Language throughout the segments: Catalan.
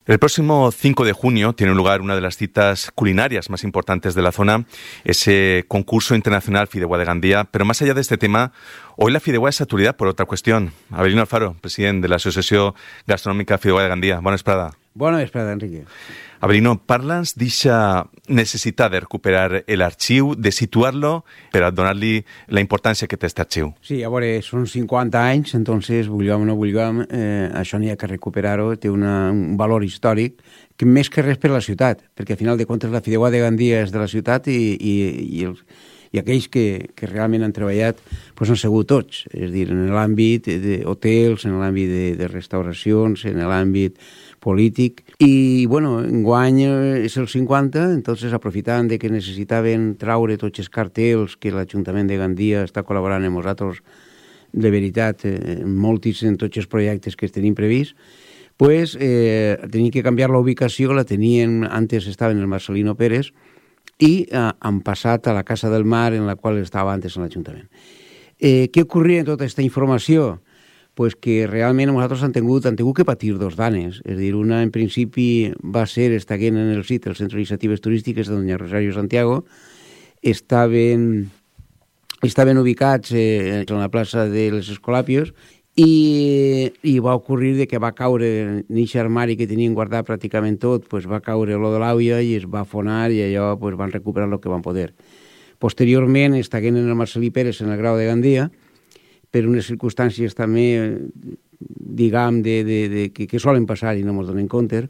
El próximo 5 de junio tiene lugar una de las citas culinarias más importantes de la zona, ese concurso internacional Fideuà de Gandía. Pero más allá de este tema, hoy la Fideuà és actualidad por otra cuestión. Abelino Alfaro, president de l'Associació Gastronòmica Fideuà de Gandía. Bona vesprada. Bona vesprada, Enrique. Abelino, parla'ns d'eixa necessitat de recuperar l'arxiu, de situar-lo per a donar-li la importància que té aquest arxiu. Sí, a veure, són 50 anys, entonces, vulguem o no vulguem, això n'hi ha que recuperar-ho, té un valor històric, que més que res per la ciutat, perquè al final de comptes la Fideuà de Gandia és de la ciutat i aquells que realment han treballat doncs han sigut tots, és a dir, en l'àmbit d'hotels, en l'àmbit de restauracions, en l'àmbit polític. I, bueno, enguany és el 50, entonces aprofitant de que necessitaven traure tots els cartells que l'Ajuntament de Gandia està col·laborant amb nosaltres, de veritat, en tots els projectes que tenim previst, pues tenien que canviar la ubicació, la tenien, antes estava en el Marcelino Pérez, i han passat a la Casa del Mar, en la qual estava antes en l'Ajuntament. Què ocorria en tota aquesta informació? Pues que realment nosaltres han tingut que patir dos danes. És a dir, una en principi va ser, estaven en el CIT, el Centre d'Iniciatives Turístiques de Doña Rosario Santiago, estaven ubicats en la plaça de les Escolàpios i va ocorrir que va caure en aquest armari que tenien guardat pràcticament tot, pues va caure l'o de l'àvia i es va afonar i allò pues van recuperar el que van poder. Posteriorment estaven en el Marcelí Pérez en el Grau de Gandia, per unes circumstàncies també, diguem, que solen passar i no ens donem compte,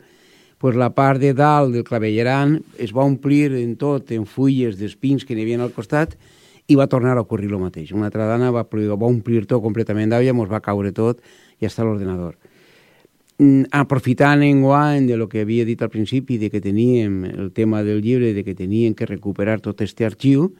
pues la part de dalt del clavellaran es va omplir en tot, en fulles d'espins que n'hi havia al costat, i va tornar a ocorrir el mateix. Una altra dana va omplir tot completament d'aigua, ens va caure tot i està a l'ordenador. Aprofitant enguany de lo que havia dit al principi, de que teníem el tema del llibre, de que teníem que recuperar tot este arxiu,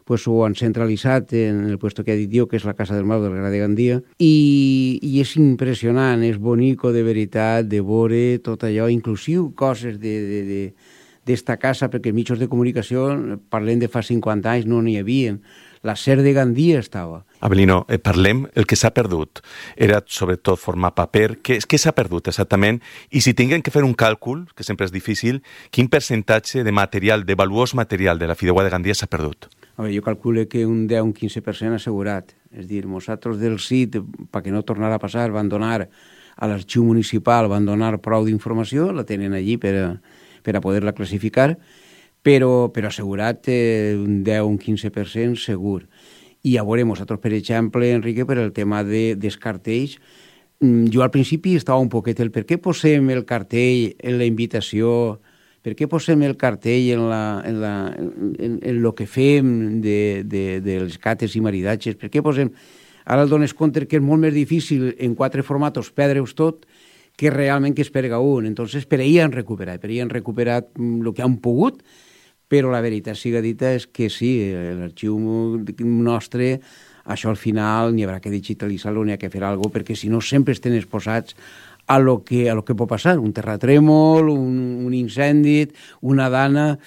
pues ho han centralitzat en el puesto que ha dit jo, que és la Casa del Mar del Gra de Gandia, i és impressionant, és bonico de veritat, de veure tot allò, inclusiu coses d'esta casa, perquè els mitjans de comunicació, parlem de fa 50 anys, no n'hi havia. La SER de Gandia estava. Abelino, parlem, el que s'ha perdut era sobretot formar paper. Què s'ha perdut exactament? I si tinguem que fer un càlcul, que sempre és difícil, quin percentatge de material, de valuós material de la Fideuà de Gandia s'ha perdut? A veure, jo calculo que un 10 o un 15% assegurat. És dir, nosaltres del CIT, perquè no tornarà a passar, van donar a l'arxiu municipal, van donar prou d'informació, la tenen allí per a poder-la classificar, però assegurat un 10 o un 15% segur. I a veure, nosaltres, per exemple, Enrique, per el tema dels cartells, jo al principi estava un poquet per què posem el cartell en la invitació, per què posem el cartell en lo que fem de les cates i maridatges, per què posem... Ara el dones compte que és molt més difícil en 4 formatos perdre-us tot que realment que es perga un. Entonces, per ahir han recuperat el que han pogut, però la veritat siga dita és que sí, l'arxiu nostre, això al final n'hi haurà que digitalitzar-lo, n'hi ha que fer alguna cosa, perquè si no sempre estem exposats a lo que pot passar, un terratrèmol, un incendi, una dana,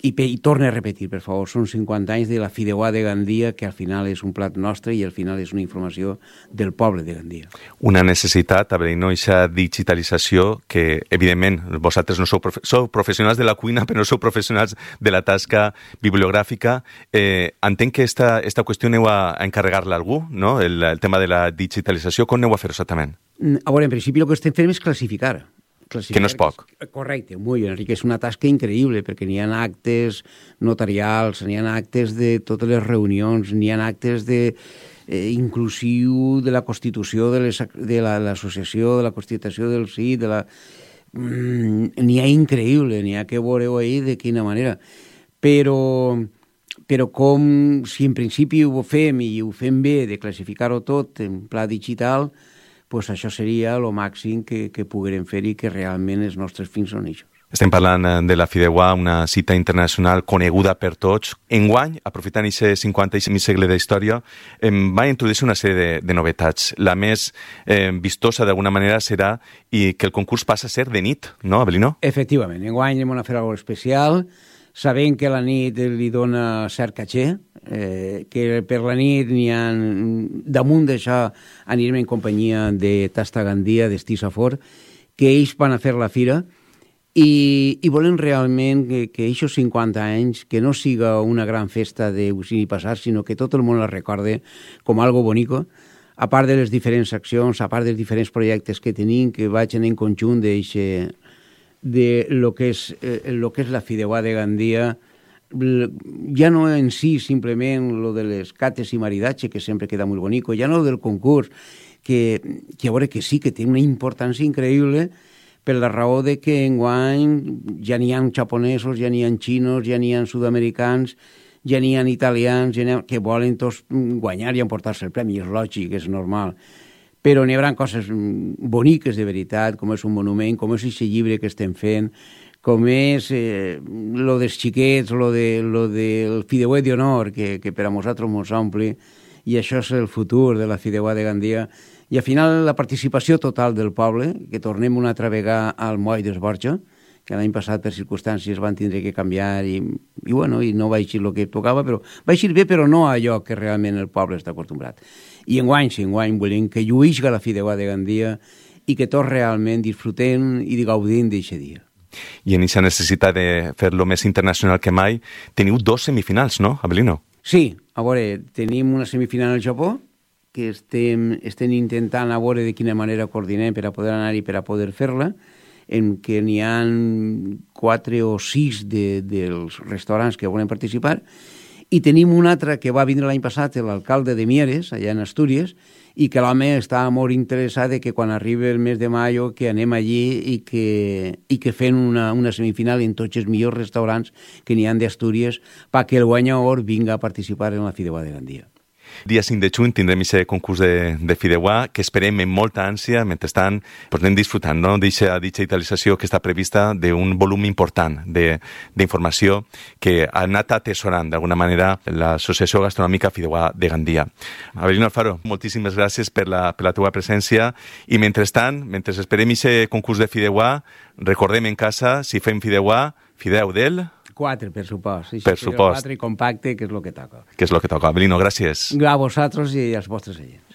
i torna a repetir, per favor, són 50 anys de la Fideuà de Gandia, que al final és un plat nostre i al final és una informació del poble de Gandia. Una necessitat, Abelino, aquesta digitalització que, evidentment, vosaltres no sou professionals de la cuina, però no sou professionals de la tasca bibliogràfica. Entenc que esta qüestió aneu a encarregar-la a algú, no? El tema de la digitalització, com aneu a fer exactament? A veure, en principi el que estem fent és classificar. Que no és poc. Correcte, molt bé, Enrique, és una tasca increïble, perquè n'hi ha actes notarials, n'hi ha actes de totes les reunions, n'hi ha actes inclusiu de la constitució de l'associació, de la constitució del CIT, n'hi ha increïble, n'hi ha que veure-ho ahir de quina manera. Però com si en principi ho fem i ho fem bé, de classificar-ho tot en pla digital, pues això seria el màxim que poguérem fer i que realment els nostres fins són això. Estem parlant de la Fideuà, una cita internacional coneguda per tots. Enguany, aprofitant aquest 50 segle d'història, va introduir una sèrie de novetats. La més vistosa, d'alguna manera, serà que el concurs passa a ser de nit, no, Abelino? Efectivament. Enguany hem de fer alguna cosa especial. Sabem que la nit li dona cert caché, que per la nit n'hi ha, damunt d'això anirem en companyia de Tasta Gandia, d'Estí Safor, que ells van a fer la fira i volen realment que aquests 50 anys, que no siga una gran festa d'Eugeni Passat, sinó que tot el món la recorde com algo bonico, a part de les diferents accions, a part dels diferents projectes que tenim, que vagin en conjunt de lo que és la Fideuà de Gandia, ja no en si simplement lo de les cates i maridatge, que sempre queda molt bonico, ja no del concurs, que a veure que sí, que té una importància increïble per la raó de que enguany ja n'hi ha japonesos, ja n'hi ha xinos, ja n'hi ha sud-americans, ja n'hi ha italians que volen tots guanyar i emportar-se el premi, és lògic, és normal. Però n'hi haurà coses boniques de veritat, com és un monument, com és aquest llibre que estem fent, com és lo dels xiquets, lo del Fideuà d'honor, que per a nosaltres mos ompli, i això és el futur de la Fideuà de Gandia. I al final la participació total del poble, que tornem una altra vegada al moll d'Esborja, que l'any passat per circumstàncies van tindre que canviar i no va eixir el que tocava, però va eixir bé, però no allò que realment el poble està acostumbrat. I enguany volem que lluïsca la Fideuà de Gandia i que tots realment disfrutem i gaudim d'aquest dia. I en aquesta necessitat de fer-lo més internacional que mai, teniu 2 semifinals, no, Abelino? Sí, a veure, tenim una semifinal al Japó, que estem intentant a veure de quina manera coordinem per a poder anar i per a poder fer-la, en què n'hi ha 4 o 6 dels restaurants que volen participar, i tenim un altre que va vindre l'any passat, l'alcalde de Mieres, allà en Astúries, i que l'home està molt interessat que quan arribi el mes de maio que anem allí i que fem una semifinal en tots els millors restaurants que n'hi ha d'Astúries perquè el guanyador vinga a participar en la Fideuà de Gandia. Dia 5 de juny tindrem aquest concurs de Fideuà que esperem amb molta ànsia. Mentrestant, anem disfrutant d'aquesta digitalització que està prevista d'un volum important d'informació que ha anat atesorant d'alguna manera l'Associació Gastronòmica Fideuà de Gandia. Abelino Alfaro, moltíssimes gràcies per la teva presència i mentrestant, mentre esperem aquest concurs de Fideuà, recordem en casa, si fem Fideuà, Fideu del... 4, per supost. Per supost. 4 i compacte, que és el que toca. Que és el que toca. Abelino, gràcies. A vosaltres i als vostres agents.